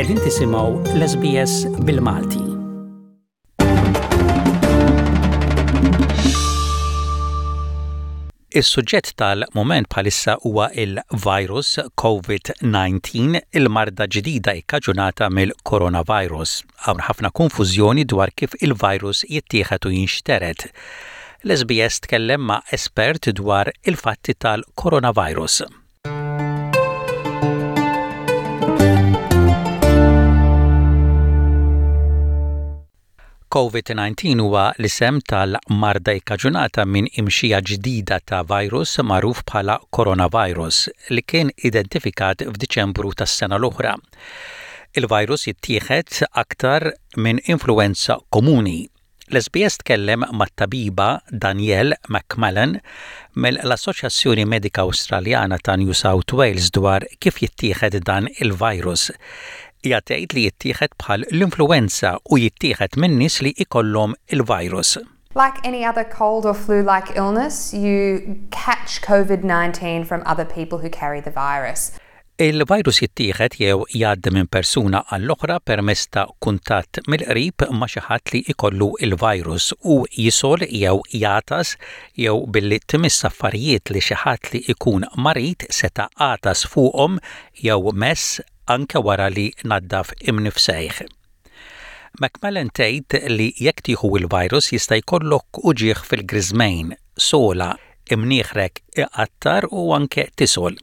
Qegħdin tisimgħu l-SBS bil-Malti. Is-suġġett tal-mument bħalissa huwa il-virus COVID-19, il-marda ġdida ikkaġunata mill-coronavirus. Hawn ħafna konfużjoni dwar kif il-virus jittieħed u jinxtered. L-SBS tkellem ma' espert dwar il-fatti tal-coronavirus. Covid-19 huwa l-isem tal-marda ikkaġunata minn imxija ġdida ta' virus magħruf bħala coronavirus li kien identifikat f'Diċembru tas-sena l-oħra. Il-virus jittieħed aktar minn influwenza komuni. L-SBS tkellem mat-tabiba Danielle McMullen mill-Assoċjazzjoni Medika Awstraljana ta' New South Wales dwar kif jittieħed dan il-virus. Hija tgħid li jittieħed bħal l-influwenza u jittieħed minn nies li ikollhom il-virus. Like any other cold or flu-like illness, you catch COVID-19 from other people who carry the virus. Il-virus jittieħed jew jgħaddi minn persuna għall-oħra permezz ta' kuntatt mill-qrib ma' xi ħadd li jkollu l-virus u jisgħol jew jagħtas jew billi tmiss affarijiet li xi ħadd li jkun marid seta' għatas fuqhom jew mess anke wara li naddaf imnifsejh. McMullen tgħid li jekk tieħu l-virus jista' jkollok uġigħ fil-griżmejn, sogħla, imnieħrek iqattar u anke tisgħol.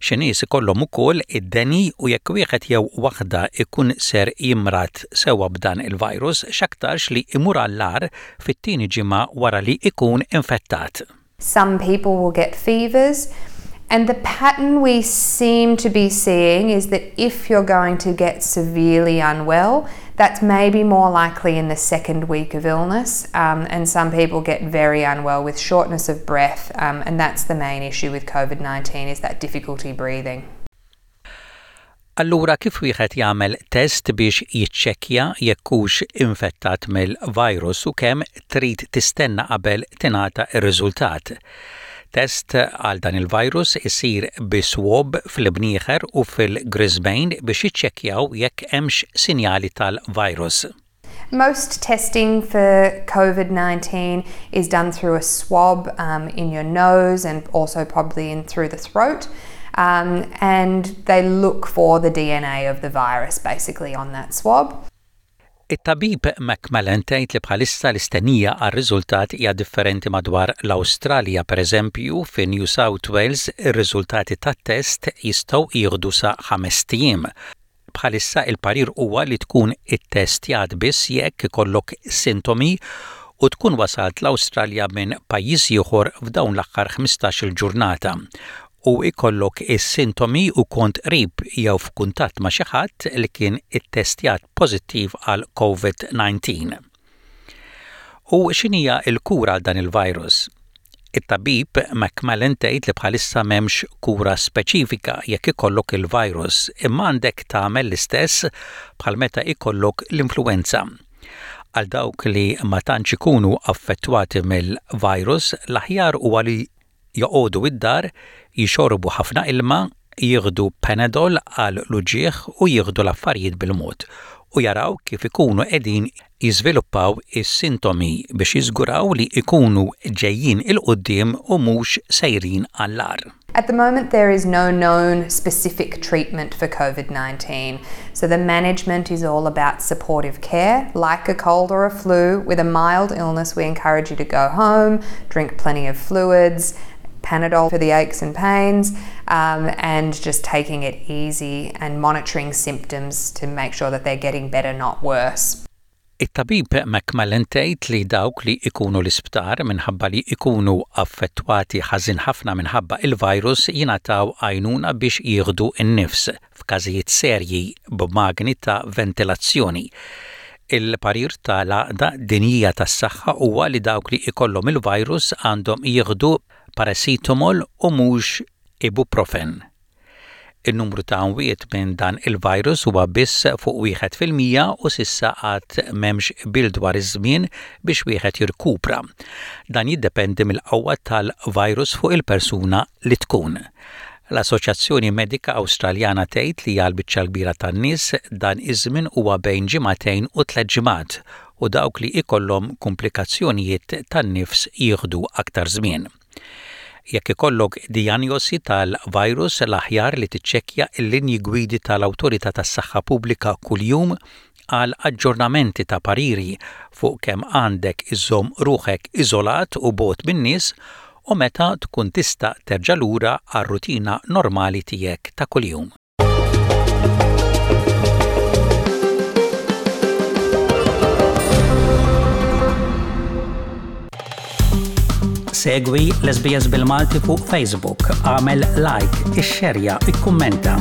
Xi nies ikollhom ukoll id-deni u jekk wieħed jew waħda ikun ser jimrad sewwa b'dan il-virus, x'aktarx li imur għall-agħar fit-tieni ġimgħa wara li ikun infettat. Some people will get fevers and the pattern we seem to be seeing is that if you're going to get severely unwell, that's maybe more likely in the second week of illness um, and some people get very unwell with shortness of breath um, and that's the main issue with COVID-19 is that difficulty breathing. Allura kif wieħed jagħmel test biex jiċċekkja jekk hux infettat mill-virus u kemm trid tistenna qabel tingħata r-riżultat? Test għal dan il-virus isir bi swab fl-imnieħer u fil-griżmejn biex jiċċekkjaw jekk hemmx sinjali tal-virus. Most testing for COVID-19 is done through a swab um, in your nose and also probably in through the throat. Um, and they look for the DNA of the virus basically on that swab. It-tabib McMullen tgħid li bħalissa l-istennija għar-riżultat hija differenti madwar l-Awstralja. Pereżempju, fi New South Wales ir-riżultati tat-test jistgħu jieħdu sa ħamest ijiem. Bħalissa il-parir huwa li tkun ittestjat biss jekk ikollok sintomi u tkun wasalt l-Awstralja minn pajjiż ieħor f'dawn l-aħħar 15-il ġurnata u jkollok is-sintomi u kont qrib jew f'kuntatt ma' xi ħadd li kien ittestjat pożittiv għal COVID-19. U x'inhija l-kura għal dan il-virus? It-tabib McMullen tgħid li bħalissa m'hemmx kura speċifika jekk ikollok il-virus, imma għandek tagħmel l-istess bħal meta ikollok l-influwenza. Għal dawk li ma tantx ikunu affettwati mill-virus, l-aħjar huwa li joqogħdu id-dar, jixorbu ħafna ilma, jieħdu Panadol għal l-uġigħ u jieħdu l-affarijiet bil-mod u jaraw kif ikunu qegħdin jiżviluppaw is-sintomi biex jiżguraw li jkunu ġejjin 'il quddiem u mhux sejrin għall-agħar. At the moment there is no known specific treatment for COVID-19, so the management is all about supportive care, like a cold or a flu. With a mild illness we encourage you to go home, drink plenty of fluids, Panadol for the aches and pains, um, and just taking it easy and monitoring symptoms to make sure that they're getting better, not worse. It-tabib McMullen tgħid li dawk li ikunu l-isptar minħabba li ikunu affettwati ħażin ħafna minħabba il-virus jingħataw għajnuna biex jieħdu n-nifs f'każijiet serji b'magni ta' ventilazzjoni. Il-parir ta' l-Għaqda Dinjija tas-Saħħa huwa li dawk li ikollhom il-virus għandhom jieħdu paracetamol u mhux ibuprofen. In-numru ta' mwiet minn dan il-virus huwa biss fuq 1% u s'issa għad m'hemmx qbil dwar iż-żmien biex wieħed jirkupra. Dan jiddependi mill-qawwa tal-virus fuq il-persuna li tkun. L-Assoċjazzjoni Medika Awstraljana tgħid li għall-biċċa l-kbira tan-nies dan iż-żmien huwa bejn ġimagħtejn u tlett ġimgħat u dawk li ikollhom kumplikazzjonijiet tan-nifs jieħdu aktar żmien. Jekk ikollok dijanjosi tal-virus l-aħjar li tiċċekkja l-linji gwidi tal-Awtorità tas-Saħħa Pubblika kuljum għal aġġornamenti ta' pariri fuq kemm għandek iżżomm ruħek iżolat u bogħod min-nies u meta tkun tista' terġa' lura għar-rutina normali tiegħek ta' kuljum. Segwi l-SBS bil-Malti fuq Facebook, għamel like, ixxerja, ikkummenta.